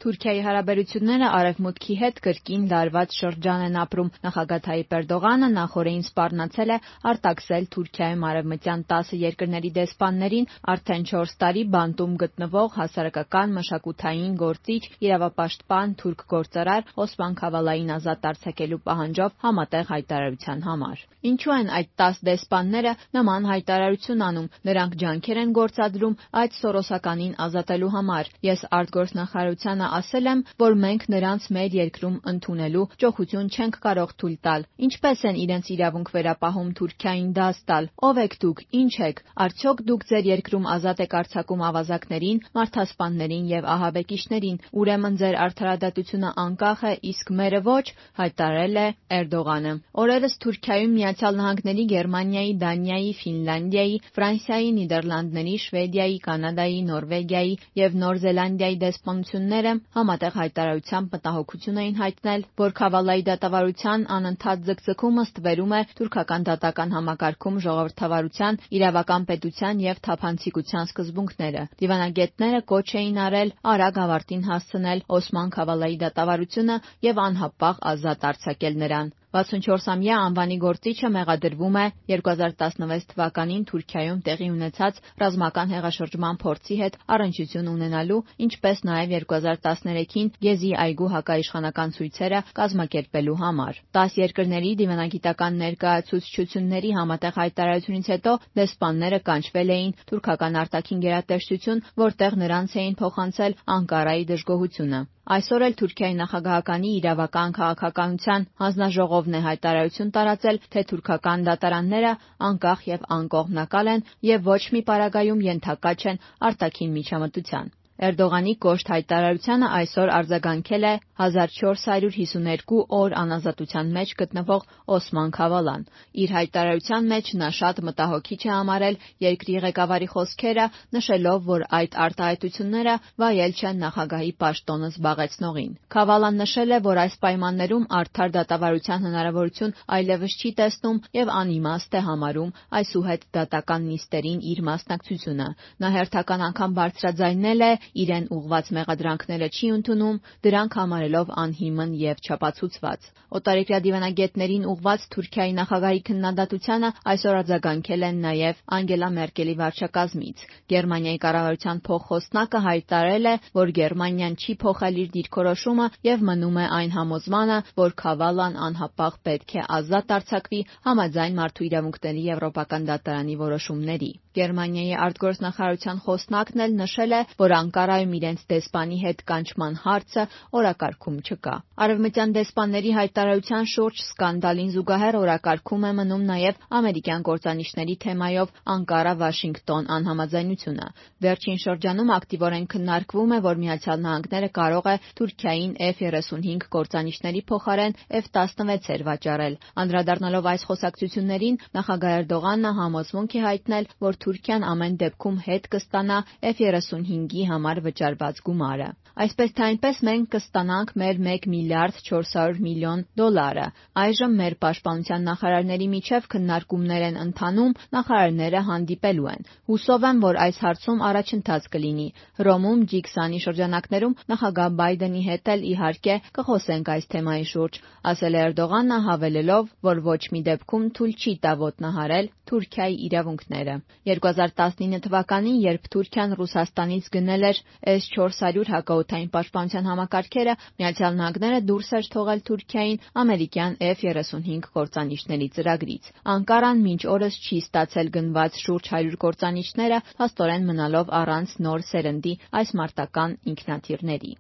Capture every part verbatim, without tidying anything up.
Թուրքիայի հարաբերությունները Արևմուտքի հետ կրկին լարված շրջան են ապրում։ Նախագահ Թայիպ Էրդողանը նախօրեին սպառնացել է արտաքսել Թուրքիայում արևմտյան տասը երկրների դեսպաններին արդեն չորս տարի բանտում գտնվող հասարակական, մշակութային գործիչ, իրավապաշտպան թուրք գործարար Օսման Քավալային ազատ արձակելու պահանջով համատեղ հայտարարության համար։ Ինչու են այդ տաս դեսպանները նման հայտարարություն անում։ Նրանք ջանքեր են գործադրում այդ սորոսականին ազատելու համար։ Ես արտգործնախարարությանը ասել եմ, որ մենք նրանց մեր երկրում ընդունելու ճոխություն չենք կարող թույլ տալ։ Ինչպես են իրենց իրավունք վերապահում Թուրքիային դաս տալ։ Ո՞վ եք դուք, ինչ եք։ Արդյոք դուք ձեր երկրում ազատ եք արձակում ավազակներին, մարդասպաններին եւ ահաբեկիչներին։ Ուրեմն ձեր արդարադատությունը անկախ է, իսկ մերը ոչ, հայտարարել է Էրդողանը։ Օրերս Թուրքիայում Միացյալ Նահանգների, Գերմանիայի, Դանիայի, Ֆինլանդիայի, Ֆրանսիայի, Նիդերլանդների, Շվեդիայի, Կանադայի, Նորվեգիայի եւ Նոր Զելանդիայի դեսպանությունները համատեղ հայտարարությամբ մտահոգություն էին հայտնել, որ Քավալայի դատավարության անընդհատ ձգձգումը ստվերում է թուրքական դատական համակարգում ժողովրդավարության, իրավական պետության եւ թափանցիկության սկզբունքները։ Դիվանագետները կոչ էին արել արագ ավարտին հասցնել Օսման Քավալայի դատավարությունը եւ անհապաղ ազատ արձակել նրան։ վաթսունչորսամյա անվանի գործիչը մեղադրվում է երկու հազար տասնվեց թվականին Թուրքիայում տեղի ունեցած ռազմական հեղաշրջման փորձի հետ առնչություն ունենալու, ինչպես նաև երկու հազար տասներեքին Գեզի այգու հակաիշխանական ցույցերը կազմակերպելու համար։ տաս երկրների դիվանագիտական ներկայացուցչությունների համատեղ հայտարարությունից հետո դեսպանները կանչվել էին թուրքական արտաքին գերատեսչություն, որտեղ նրանց էին փոխանցել Անկարայի դժգոհությունը։ Այսօր էլ Թուրքիայի նախագահականի իրավական քաղաքականության հանձնաժողովն է հայտարարություն տարածել, թե թուրքական դատարանները անկախ եւ անկողմնակալ են եւ ոչ մի պարագայում ենթակա չեն արտաքին միջամտության։ Էրդողանի կոշտ հայտարարությանը այսօր արձագանքել է հազար չորս հարյուր հիսուներկու օր անազատության մեջ գտնվող Օսման Քավալան։ Իր հայտարարության մեջ նա շատ մտահոգիչ է համարել երկրի ղեկավարի խոսքերը, նշելով, որ այդ արտահայտությունները վայել չեն նախագահի պաշտոնը զբաղեցնողին։ Քավալան նշել է, որ այս պայմաններում արդար դատավարության հնարավորություն այլևս չի տեսնում եւ անիմաստ է համարում այսուհետ դատական նիստերին իր մասնակցությունը։ Նա հերթական անգամ բարձրաձայնել է իրեն ուղղված մեղադրանքները չի ընդունում, դրանք համարելով անհիմն եւ չապացուցված։ Օտարերկրյա դիվանագետներին ուղղված Թուրքիայի նախագահի քննադատությանը այսօր արձագանքել են նաեւ Անգելա Մերկելի վարչակազմից։ Գերմանիայի կառավարության փոխխոսնակը հայտարարել է, որ Գերմանիան չի փոխել իր դիրքորոշումը եւ մնում է այն համոզմանը, որ Քավալան անհապաղ պետք է ազատ արձակվի համաձայն Մարդու իրավունքների եվրոպական դատարանի որոշումների։ Գերմանիայի արտգործնախարարության խոսնակն էլ նշել է, որ Անկարայում իրենց դեսպանի հետ կանչման հարցը օրակարգում չկա։ Արևմտյան դեսպանների հայտարարության շուրջ սկանդալին զուգահեռ օրակարգում է մնում նաև ամերիկյան կործանիչների թեմայով Անկարա-Վաշինգտոն անհամաձայնությունը։ Վերջին շրջանում ակտիվորեն քննարկվում է, որ Միացյալ Նահանգները կարող է Թուրքիային Էֆ երեսունհինգ կործանիչների փոխարեն Էֆ տասնվեցեր վաճառել։ Անդրադառնալով այս խոսակցություններին, նախագահ Էրդողանը համոզմունք է հայտնել, որ Թուրքիան ամեն դեպքում հետ կստանա Էֆ երեսունհինգի համար վճարված գումարը։ Այսպես թե այնպես մենք կստանանք մեր մեկ միլիարդ չորս հարյուր միլիոն դոլարը։ Այժմ մեր պաշտպանության նախարարների միջև քննարկումներ են ընթանում, նախարարները հանդիպելու են։ Հուսով եմ, որ այս հարցում առաջընթաց կլինի։ Հռոմում ջի քսանի շրջանակներում նախագահ Բայդենի հետ էլ իհարկե կխոսենք այս թեմայի շուրջ, ասել է Էրդողանը, հավելելով, որ ոչ մի դեպքում թույլ չի տա ոտնահարել Թուրքիայի իրավունքները։ երկու հազար տասնինը թվականին, երբ Թուրքիան Ռուսաստանից գնել էր էս չորս հարյուր հակաօդային պաշտպանության համակարգերը, Միացյալ Նահանգները դուրս էր թողել Թուրքիային ամերիկյան Էֆ երեսունհինգ կործանիչների ծրագրից։ Անկարան մինչ օրս չի ստացել գնված շուրջ հարյուր կործանիչները, փաստորեն մնալով առանց նոր սերնդի այս մարտական ինքնաթիռների։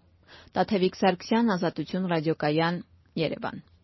Տաթևիկ Սարգսյան, Ազատություն ռադիոկայան, Երևան։